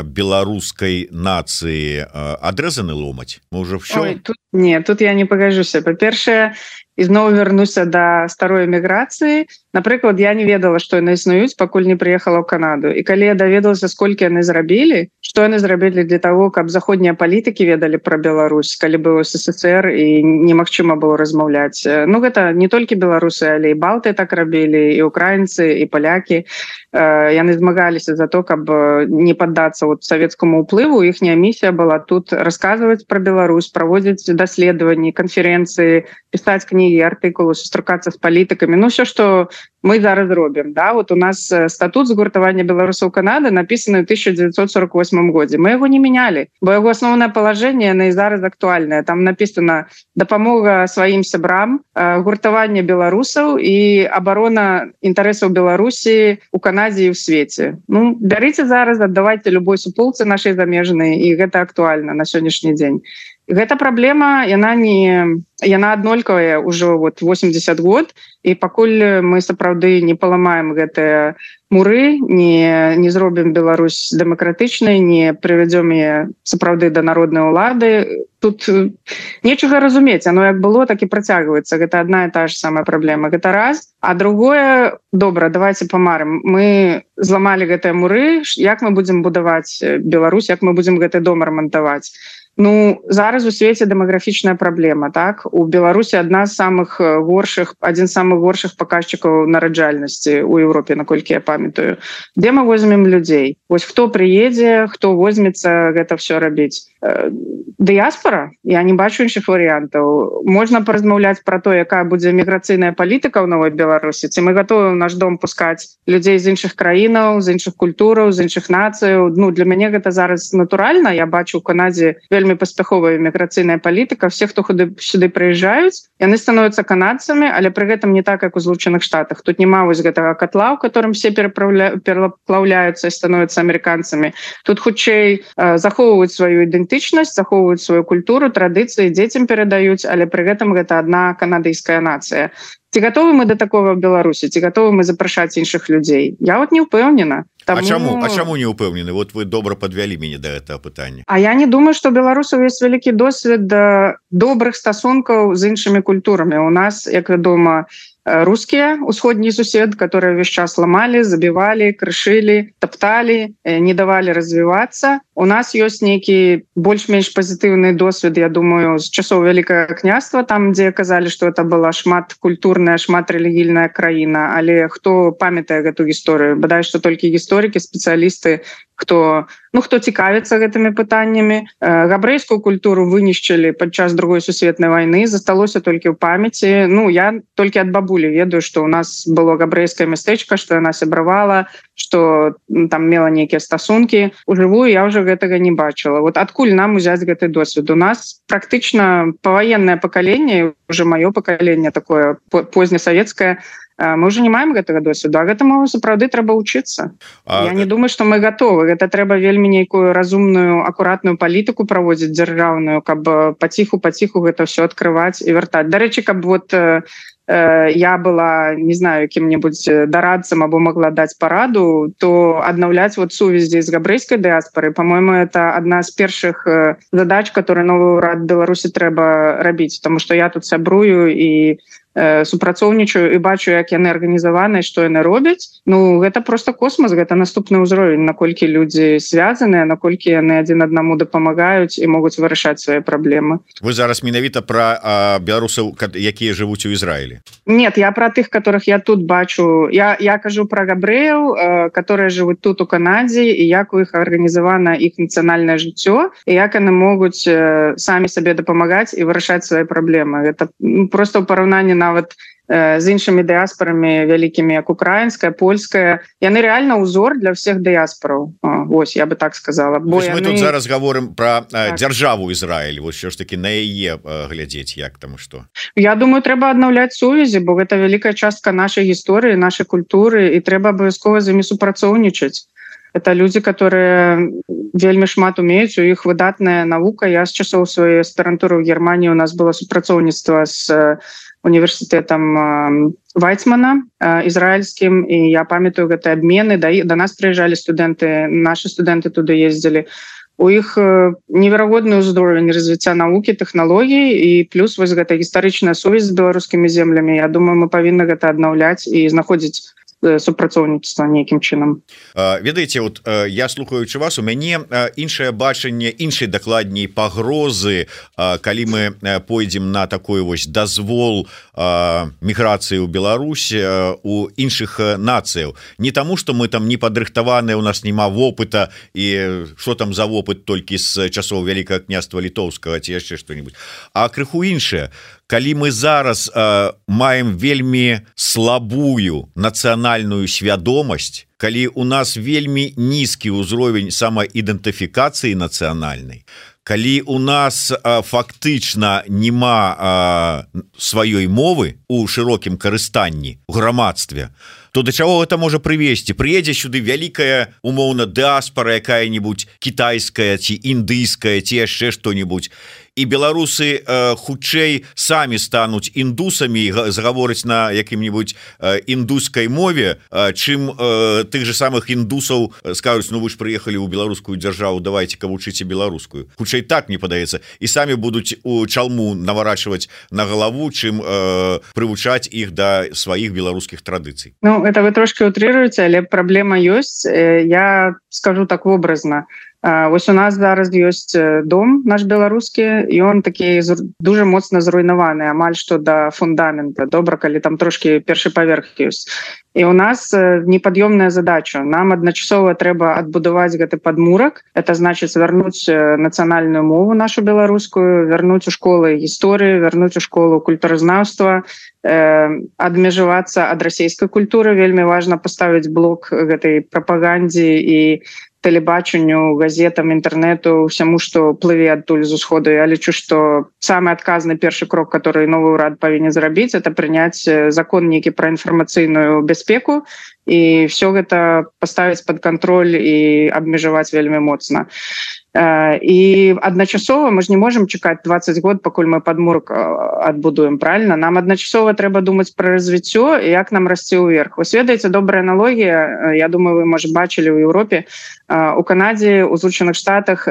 беларускай нацыі адрэзаны ломаць? Мы ўжо ўсё? Ой, тут я не пагажуся. Па-першае, ізноў вярнуся да старой эміграцыі. Напрыклад, я не ведала, што яны існуюць, пакуль не прыехала ў Канаду. І калі я даведалася, сколькі яны зрабілі, што яны зрабілі для того, каб заходнія палітыкі ведалі пра Беларусь, калі быў СССР і немагчыма было размаўляць. Ну, гэта не толькі беларусы, але і балты так рабілі, і украінцы, і палякі. Яны змагаліся за то, каб не паддацца вот савецкаму ўплыву. Іхняя місія была тут расказваць пра Беларусь, праводзіць даследаванні, канферэнцыі, пісаць кнігі кнігі, артыкулы, сустракацца з палітыкамі, ну все, што мы зараз робім, да? Вот у нас статут згуртавання беларусаў Канады напісаны ў 1948 годзе. Мы яго не мянялі, бо яго асноўнае палажэнне яно і зараз актуальнае. Там напісана дапамога сваім сябрам, гуртаванне беларусаў і абарона інтарэсаў Беларусі у Канадзе і ў свеце. Ну, бярыце зараз, аддавайце любой суполцы нашай замежнай, і гэта актуальна на сённяшні дзень. Гэта праблема, яна аднолькавая ўжо 80 год, і пакуль мы сапраўды не паламаем гэтыя муры, не зробім Беларусь дэмакратычнай, не прывядзём яе сапраўды да народнай улады, тут нечага разумець, оно як было, так і працягваецца. Гэта адна і та ж самая праблема. Гэта раз. А другое, добра, давайте памарым. Мы зламалі гэтыя муры, як мы будзем будаваць Беларусь, як мы будзем гэты дом рамантаваць. Ну, зараз у свеце дэмаграфічная праблема, так? У Беларусі адзін з самых горшых паказчыкаў нараджальнасці ў Еўропе, наколькі я памятаю. Дзе мы возьмем людзей? Вось хто прыедзе, хто возьмецца гэта все рабіць? Дыяспора? Я не бачу іншых варыянтаў. Можна паразмаўляць пра то, якая будзе міграцыйная палітыка ў новай Беларусі. Ці мы гатовы ў наш дом пускаць людзей з іншых краінаў, з іншых культураў, з іншых нацыяў. Ну, для мяне гэта зараз натуральна. Я бачу ў Канадзе вельмі паспяховая міграцыйная палітыка. Все, хто сюды прыязджаюць, яны становяцца канадцамі, але пры гэтым не так, як у Злучаных Штатах. Тут няма вось гэтага катла, у которым все пераплаўляюцца і становяцца амерыканцамі. Тут хутчэй захоўваюць сваю ідэнтычнасць, захоўваюць сваю культуру, традыцыі, дзецям перадаюць, але пры гэтым гэта адна канадыйская нацыя. Ці гатовы мы да такого в Беларусі? Ці гатовы мы запрашаць іншых людзей? Я не ўпэўнена. Таму... А чаму не ўпэўнены? Вот вы добра подвялі мяне да гэтага пытання. А я не думаю, што беларусаў ёсць вялікі досвед добрых стасункаў з іншымі культурамі. У нас, як вядома, рускія, усходні сусед, которые весь час ламалі, забівалі, крышылі, тапталі, не давалі развівацца. У нас ёсць нейкі больш-менш пазітыўны досвед, я думаю, з часоў Вялікага княства, там, дзе казалі, што это была шматкультурная, шматрэлігійная краіна, але хто памятае гэту гісторыю? Бадай, што толькі гісторыкі, спецыялісты, хто цікавіцца гэтымі пытаннямі. Габрэйскую культуру вынішчылі падчас Другой сусветнай вайны, засталося толькі ў памяці. Ну, я толькі ад бабулі ведаю, што ў нас было габрэйскае мястэчка, што яна сябравала, што там мела нейкія стасункі. Ужывую я ўжо гэтага не бачыла. Вот адкуль нам узяць гэты досвед? У нас практычна паваеннае пакаленне, уже маё пакаленне такое познясавецкае, мы уже не маем гэтага досведу, а гэтаму сапраўды трэба ўчыцца. Я не думаю, што мы гатовы. Гэта трэба вельмі нейкую разумную, акуратную палітыку праводзіць дзяржаўную, каб паціху гэта все адкрываць і вяртаць. Дарэчы, каб я была, не знаю, кім-небудзь дарадцам або могла даць параду, то аднаўляць сувязі з габрэйскай дыяспорай, по-моему, это адна з першых задач, которые новы ўрад Беларусі трэба рабіць, потому что я тут сябрую і супрацоўнічаю і бачу, як яны арганізаваны, што яны робяць. Ну, гэта просто космос, гэта наступны ўзровень, наколькі людзі звязаныя, наколькі яны адзін аднаму дапамагаюць і могуць вырашаць свае праблемы. Вы зараз менавіта пра беларусаў, якія жывуць у Ізраілі? Нет, я пра тых, которых я тут бачу. Я кажу пра габрэяў, которые жывуць тут у Канадзе, і як у іх арганізавана іх нацыянальнае жыццё, і як яны могуць самі сабе дапамагаць і вырашаць свае праблемы. Гэта просто ў параўнанні нават з іншымі дыяспорамі вялікімі, як украінская, польская. Яны реально ўзор для всех дыяспораў. Вось, я бы так сказала. Бо мы тут зараз гаворым пра дзяржаву Ізраіль, вось що ж таки на яе глядзець, як там і што. Я думаю, трэба аднаўляць сувязі, бо гэта вялікая частка нашай гісторыі, нашай культуры, і трэба абавязкова з імі супрацоўнічаць. Это люди, которые вельмі шмат умеюць, у іх выдатная навука. Я з часоў сваёй аспірантуры ў Германіі, у нас было супрацоўніцтва з універсітэтам Вайцмана ізраільскім, і я памятаю гэтыя абмены. Да нас прыязджалі студэнты, нашы студэнты туды ездзілі. У іх неверагодны ўзровень развіцця навукі, тэхналогій, і плюс вось гэта гістарычная сувязь з беларускімі землямі. Я думаю, мы павінны гэта аднаўляць і знаходзіць супрацоўніцтва нейкім чынам. Ведаеце, вот я слухаючы вас, у мяне іншае бачанне, іншай дакладней пагрозы, калі мы пойдзем на такой вось дазвол міграцыі ў Беларусь у іншых нацыяў. Не таму, што мы там не падрыхтаваныя, у нас няма вопыта, і што там за вопыт толькі з часоў Вялікага княства Літоўскага ці яшчэ што-нибудь. А крыху іншае. калі мы зараз маем вельмі слабую нацыянальную свядомасць, калі у нас вельмі нізкі ўзровень самаідэнтыфікацыі нацыянальнай, калі у нас фактычна няма сваёй мовы у шырокім карыстанні у грамадстве, то да чаго гэта можа прывесці? Прыедзе сюды вялікая умоўна дыаспара якая-нибудь кітайская ці індыйская ці яшчэ што-нибудь, і беларусы хутчэй самі стануць індусамі і загаворыць на якім-нибудь індускай мове, чым тых же самых індусаў скажуць: ну вы ж прыехалі ў беларускую дзяржаву, давайте-ка вучыце беларускую. Хутчэй так, мне падаецца, і самі будуць у чалму наварачваць на галаву, чым прывучаць іх да сваіх беларускіх традыцый. Ну, это вы трошки утрыруеце, але праблема ёсць. Я скажу так вобразна. Вось у нас зараз ёсць дом наш беларускі, і он такі дуже моцна зруйнаваны, амаль што да фундамента. Добра, калі там трошки першы паверх ёсць. І у нас непад'ёмная задача. Нам адначасова трэба адбудаваць гэты падмурак. Это значыць вярнуць нацыянальную мову нашу беларускую, вярнуць у школы гісторыю, вярнуць у школу культуразнаўства, адмежавацца ад расійскай культуры. Вельмі важна паставіць блок гэтай прапагандзе і тэлебачанню, газетам, інтэрнэту, ўсяму, што плыве адтуль з усходу. Я лічу, што самы адказны першы крок, который новы ўрад павінен зрабіць, это прыняць закон нейкі пра інфармацыйную бяспеку і все гэта паставіць пад кантроль і абмежаваць вельмі моцна. І адначасова мы ж не можам чакаць 20 год, пакуль мы падмурак адбудуем, правильно? Нам адначасова трэба думаць пра развіццё і як нам расці ўверх. Вы ведаеце, добрая аналогія, я думаю, вы, можа, бачылі ў Еўропе, у Канадзе, у Злучаных Штатах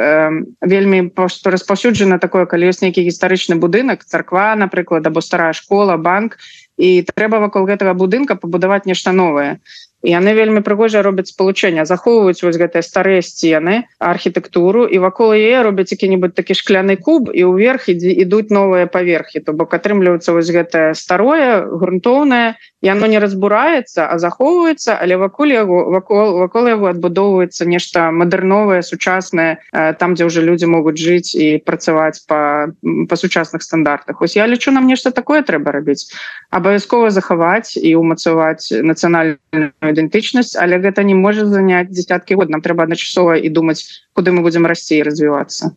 вельмі распаўсюджана такое, калі ёсць нейкі гістарычны будынак, царква, напрыклад, або старая школа, банк, і трэба вакол гэтага будынка пабудаваць нешта новае. І яны вельмі прыгожа робяць спалучэння, захоўваюць вось гэтыя старыя сцены, архітэктуру, і вакол яе робяць які-нибудь такі шкляны куб, і ўверх ідуць новыя паверхі. То бок атрымліваецца вось гэтае старое, грунтоўнае, яно не разбураецца, а захоўваецца, але вакол яго адбудоўваецца нешта мадэрновае, сучаснае, там, дзе ўжо людзі могуць жыць і працаваць па сучасных стандартах. Ось я лічу, нам нешта такое трэба рабіць. Абавязкова захаваць і умацаваць нацыянальную ідэнтычнасць, але гэта не можа заняць дзесяткі год. Нам трэба адначасова і думаць, куды мы будзем расці і развівацца.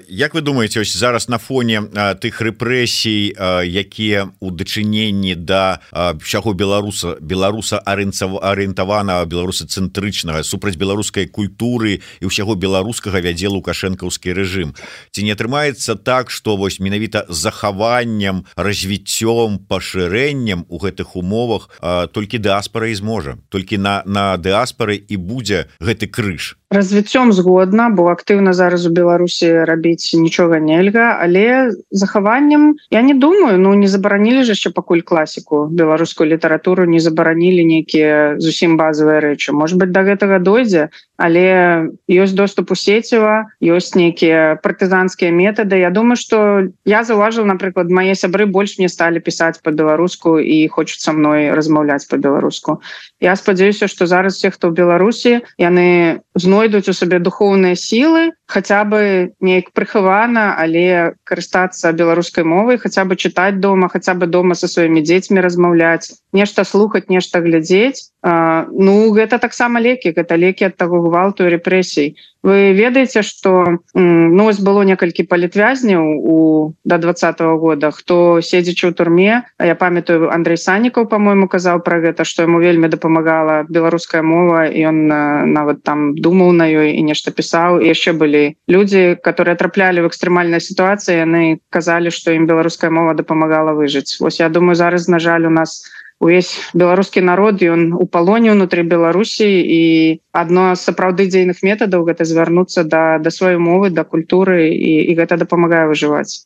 Як вы думаеце, ось зараз на фоне тых рэпрэсій, якія ў дачыненні да ўсяго беларуса арыентаванага, беларусацэнтрычнага, супраць беларускай культуры і ўсяго беларускага вядзе лукашэнкаўскі рэжым, ці не атрымаецца так, што вось менавіта захаваннем, развіццём, пашырэннем у гэтых умовах толькі дыаспара і зможа, толькі на дыаспары і будзе гэты крыж? Развіццём згодна, бо актыўна зараз у Беларусі рабіць нічога нельга, але захаваннем, я не думаю, не забаранілі ж яшчэ пакуль класіку, беларускую літаратуру, не забаранілі нейкія зусім базавыя рэчы. Может быть, да гэтага дойдзе, але ёсць доступ у сеціва, ёсць нейкія партызанскія метады. Я думаю, што я заўважыла, напрыклад, мае сябры больш мне сталі пісаць па-беларуску і хочуць са мной размаўляць па-беларуску. Я спадзяюся, што зараз все, хто ў Беларусі, яны знойдуць у сабе духоўныя сілы, хаця бы неяк прыхавана, але карыстацца беларускай мовай, хаця бы чытаць дома, хаця бы дома са сваімі дзецьмі размаўляць, нешта слухаць, нешта глядзець. Гэта таксама лекі, гэта лекі ад таго гвалту і рэпрэсій. Вы ведаеце, што было некалькі палітвязняў да 20-го года, хто седзячы ў турме, я памятаю, Андрей Саннікаў, па-мойму, казаў пра гэта, што яму вельмі дапамагала беларуская мова, і ён нават там думаў на ёй і нешта пісаў. І яшчэ былі людзі, которые траплялі в экстрэмальнай сітуацыі, яны казалі, што ім беларуская мова дапамагала выжыць. Вось я думаю, зараз, на жаль, у нас увесь беларускі народ, ён у палоне ўнутры Беларусі, і адно з сапраўды дзейных метадаў гэта звярнуцца да сваёй мовы, да культуры, і гэта дапамагае выжываць.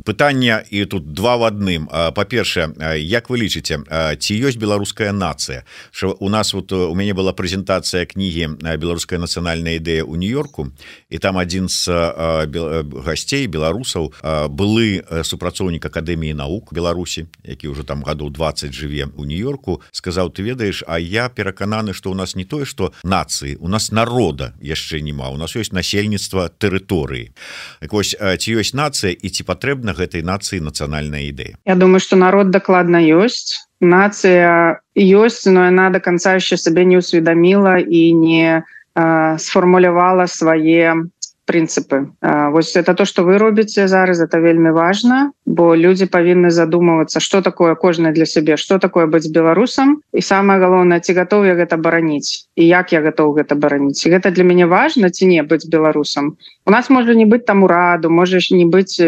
Пытанне і тут два в адным. Па-першае, як вы лічыце, ці ёсць беларуская нацыя? У нас у мяне была прэзентацыя кнігі «Беларуская нацыянальная ідэя» ў Нью-Йорку, і там адзін з гасцей беларусаў, былы супрацоўнік Акадэміі навук Беларусі, які ўжо там гадоў 20 жыве у Нью-Йорку, сказаў: ты ведаеш, а я перакананы, што у нас не тое, што нацыі, у нас народа яшчэ няма, у нас ёсць насельніцтва тэрыторыі. Так вось, ці ёсць нацыя і ці патрэбна гэтай нацыі нацыянальная ідэя? Я думаю, что народ докладно есть. Нация есть, но она до конца еще себе не усведомила и не сформулировала свои принципы. Вот это то, что вы робите зараз, это вельмі важно, бо люди повинны задумываться, что такое кожны для себе, что такое быть белорусом, и самое главное, ці готов я гэта бараніць, и як я готов гэта бараніць. И это для меня важно, ці не быть белорусом. У нас может не быть там ураду, может не быть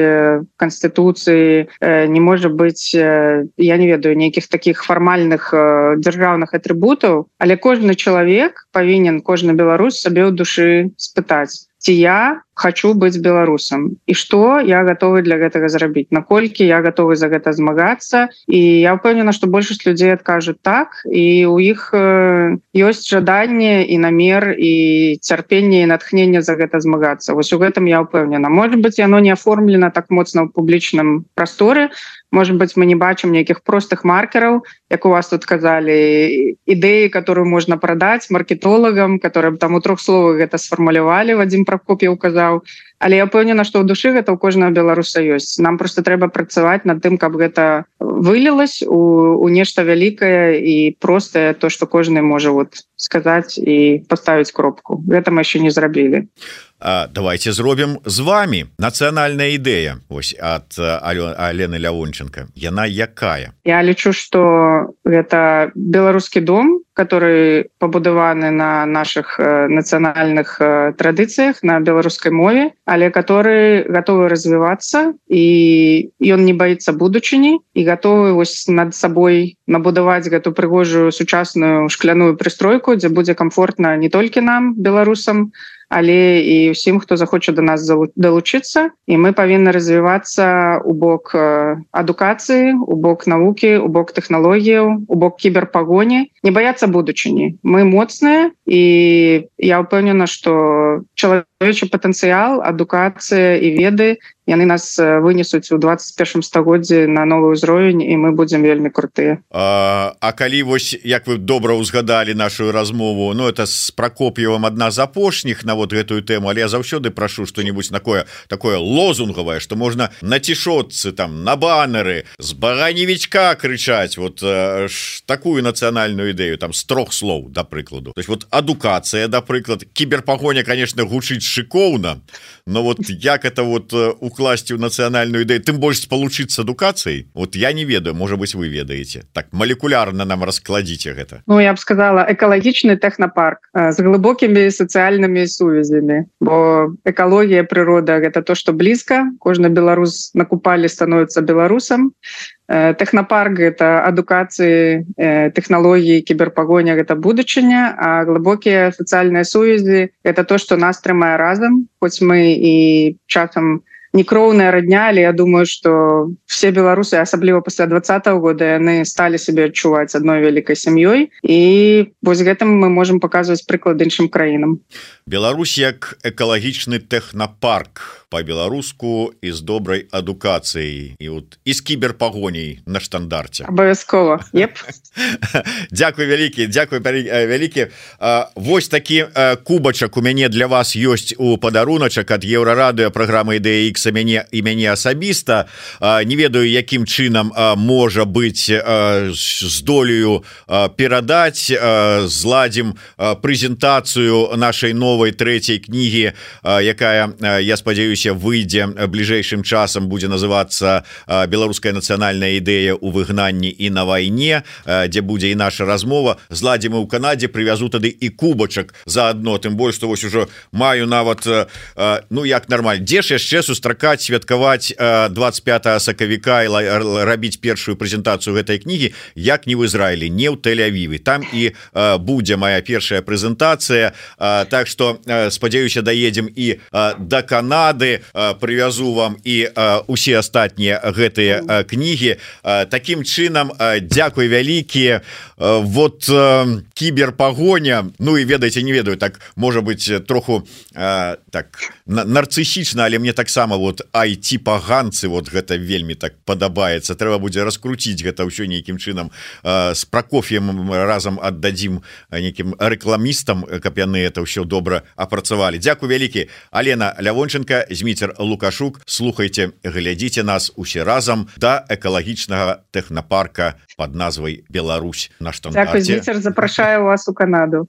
конституции, не может быть, я не ведаю, никаких таких формальных державных атрибутов, але кожны человек повинен, кожны белорус себе у души спытаць, ці я хочу быть белорусом, и что я готовы для гэтага зрабіць, наколькі я готовы за гэта змагацца. И я упэўнена, что большасць людей откажут так, и у іх ёсць жаданне и намер, и цярпенне, и натхненне за гэта змагацца. Вось у гэтым я упэўнена. Может быть, оно не оформлено так моцна ў публічным прасторы, может быть, мы не бачым неких простых маркеров, как у вас тут сказали, идеи, которые можно продать маркетологам, которые там у 3 словах это сформулировали, Вадим Прокопьев указал. Але я упэўнена, што ў душы гэта ў кожнага беларуса ёсць. Нам просто трэба працаваць над тым, каб гэта вылілось у нешта вялікае і простае, то, што кожны можа вот сказаць і паставіць кропку. Гэта мы яшчэ не зрабілі. Давайте зробім з вами нацыянальная ідэя ось ад Алены Лявонченко. Яна якая? Я лічу, што гэта беларускі дом, который пабудаваны на наших нацыянальных традыцыях, на беларускай мове, але который готовы развиваться, і ён не боится будучыні і готовы вось над сабой набудаваць гэту прыгожую сучасную шкляную прыстройку, дзе будзе комфортна не толькі нам, беларусам, але і ўсім, хто захоча до нас далучыцца. І мы павінны развівацца у бок адукацыі, у бок навукі, у бок тэхналогіяў, у бок кіберпагоні, не баяцца будучыні. Мы моцныя, і я ўпэўнена, што чалавечы патэнцыял, адукацыя і веды, яны нас вынесуць у 21 стагоддзі на новы ўзровень, і мы будзем вельмі крутыя. А калі вось, як вы добра ўзгадалі нашу размову, ну это з Прокопьевым адна з апошніх на вот гэтую тэму, але я заўсёды прашу што-нибудь такое лозунгавае, што можна на цішотцы, там, на баннеры, з бараневічка крычаць, вот такую нацыянальную ідэю, там, з 3 слоў, да прыкладу. То есть вот адукацыя, да прыклад, кіберпагоня, конечно, гучыць шыкоўна, но вот як это вот укласці ў нацыянальную ідэю, тым больш спалучыцца з адукацыяй, вот я не ведаю, можа быть, вы ведаеце. Так, молекулярна нам раскладзіце гэта. Ну, я б сказала, экалагічны тэхнапарк з глыбокімі сацыяльнымі сувязямі, бо экалогія, прырода — гэта то, што блізка, кожны беларус на купалі становіцца беларусам. Тэхнапарк — гэта адукацыі, тэхналогіі, кіберпагоня — гэта будучыня, а глыбокія сацыяльныя сувязі — гэта то, што нас трымае разам, хоць мы і часам некроўная родня, але я думаю, что все беларусы, асабліва пасля 2020 года, яны стали себе адчуваць адной вялікай сям'ёй, і вось гэтым мы можем показывать прыклад іншым краінам. Беларусь як экалагічны тэхнапарк по-беларуску і з добрай адукацыяй і вот і з кіберпагоняй на штандарце. Абавязкова. Еп. Дзякуй вялікі, дзякуй вялікі. Вось такі кубачак у мяне для вас ёсць у падаруначак ад Еўрарадыё, праграмы Ідэя Ікс і мяне асабіста. Не ведаю, якім чынам можа быць здолею перадаць, зладзім прэзентацыю нашай новай 3-й кнігі, якая, я спадзяюся, выйдзе бліжэйшым часам, будзе называцца «Беларуская нацыянальная ідэя ў выгнанні і на вайне», дзе будзе і наша размова. Зладзім і ў Канадзе, прывязу тады і кубачак заадно, тым больш, што вось ужо маю нават, ну як нармальна, дзе ж яшчэ сустракаць, святкаваць 25 сакавіка і рабіць першую прэзентацыю гэтай кнігі, як не ў Ізраілі, не ў Тель-Авіве. Там і будзе моя першая прэзентацыя, так што спадзяюся, даедзем і да Канады, прывязу вам і усе астатнія гэтыя кнігі. Такім чынам, дзякуй вялікія. Вот кіберпагоня, ну і ведаеце, не ведаю, так можа быць троху так нарцысічна, але мне таксама вот IT-паганцы, вот гэта вельмі так падабаецца, трэба будзе раскруціць гэта ўсё нейкім чынам, с Прокоф'ем разам аддадзім нейкім рэкламістам, каб яны это ўсё добра апрацавалі. Дзякуй вялікі. Алена Лявонченко, Зміцер Лукашук. Слухайте, глядзіце нас усе разам да экалагічнага тэхнапарка под назвай Беларусь на штандарце. Дзякуй, Зміцер, запрашаю вас у Канаду.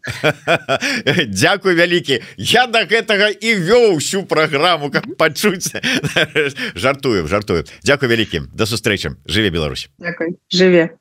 Дзякуй вялікі. Я да гэтага і вёў всю праграму, каб пачуць. Жартую. Дзякуй вялікі. Да сустрэчы. Жыве Беларусь. Дзякуй. Жыве.